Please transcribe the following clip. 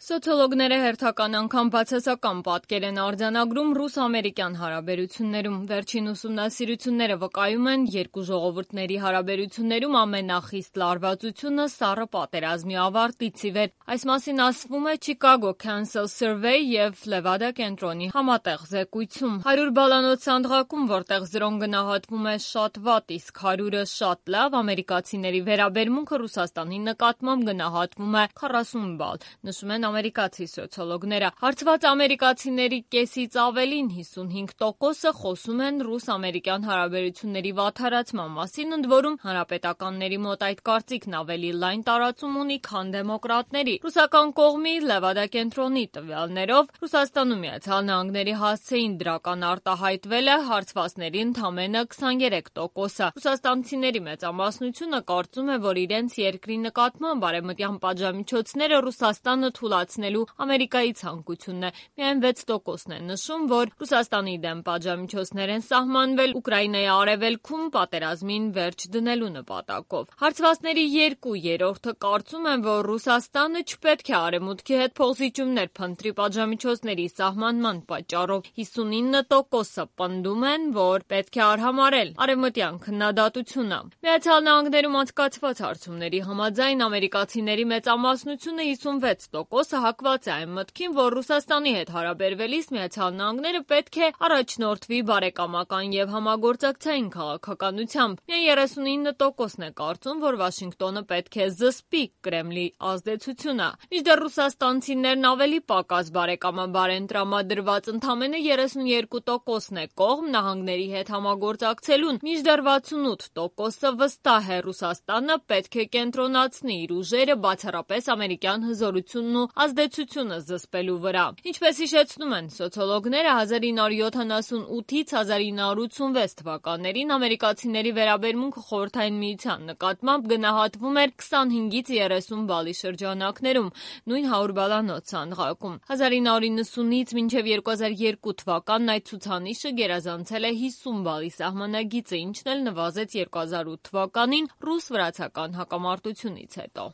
Սոցիոլոգները հերթական անգամ բացասական պատկեր են արձանագրում ռուս-ամերիկյան հարաբերություններում։ Վերջին ուսումնասիրությունները վկայում են, երկու ժողովուրդների հարաբերություններում ամենախիստ լարվածությունը սառը պատերազմի ավարտից ի վեր։ Այս մասին ասվում է Chicago Council Survey և Levada կենտրոնի համատեղ զեկույցում։ 100 բալանոց սանդղակում, որտեղ 0-ն գնահատվում է շատ վատ, իսկ 100-ը շատ լավ, ամերիկացիների վերաբերմունքը Ռուսաստանի նկատմամբ գնահատվում է 40 բալ, նշում են ամերիկացի սոցիոլոգները։ Հարցված ամերիկացիների կեսից ավելին 55%-ը խոսում են ռուս-ամերիկյան հարաբերությունների վատթարացման մասին, ընդ որում հանրապետականների մոտ այդ կարծիքն ավելի լայն տարածում ունի, քան դեմոկրատների։ Ռուսական կողմի Լևադա կենտրոնի տվյալներով Ռուսաստանում ԱՄՆ-ի հասցեին դրական արտահայտվել է հարցվածների ընդամենը 23%-ը։ Ռուսաստանցիների մեծամասնությունը կարծում է, որ իրենց երկրի նկատմամբ արևմտյան պատժամիջոցները Ռուսաստանը թուլացնելու Ամերիկայի ցանկությունն է։ Միայն 6%-ն է նշում, որ Ռուսաստանի դեմ պատժամիջոցներ են սահմանվել Ուկրաինայի արևելքում պատերազմին վերջ դնելու նպատակով։ Հարցվածների 2/3-ը կարծում են, որ Ռուսաստանը չպետք է արևմուտքի հետ փոխզիջումներ փնտրի պատժամիջոցների սահմանման պատճառով։ 59%-ը պնդում են, որ պետք է արհամարհել արևմտյան քննադատությունը։ Միացյալ Նահանգներում անցկացված հարցումների համաձայն ամերիկացիների մեծամասնությունը 56%-ը հակված է այն մտքին, որ Ռուսաստանի հետ հարաբերվելիս Միացյալ Նահանգները պետք է առաջնորդվի բարեկամական և համագործակցային քաղաքականությամբ։ Միայն 39%-ն է կարծում, որ Վաշինգտոնը պետք է զսպի Կրեմլի ազդեցությունը։ Մինչդեռ ռուսաստանցիներն ավելի պակաս բարեկամաբար են տրամադրված, ընդամենը 32%-ն է կողմ նահանգների հետ համագործակցելուն, մինչդեռ 68%-ը վստահ է Ռուսաստանը պետք է կենտրոնացնի իր ուժերը բացառապես ամերիկյան հզորությունն ու ազդեցությունը զսպելու վրա։ Ինչպես հիշեցնում են սոցիոլոգները, 1978-ից 1986 թվականներին ամերիկացիների վերաբերմունքը Խորհրդային Միության նկատմամբ գնահատվում էր 25-ից 30 բալի շրջանակներում, նույն 100 բալանոց սանդղակում։ 1990-ից մինչև 2002 թվականն այդ ցուցանիշը գերազանցել է 50 բալի սահմանագիծը, ինչն էլ նվազեց 2008 թվականին ռուս-վրացական հակամարտությունից հետո։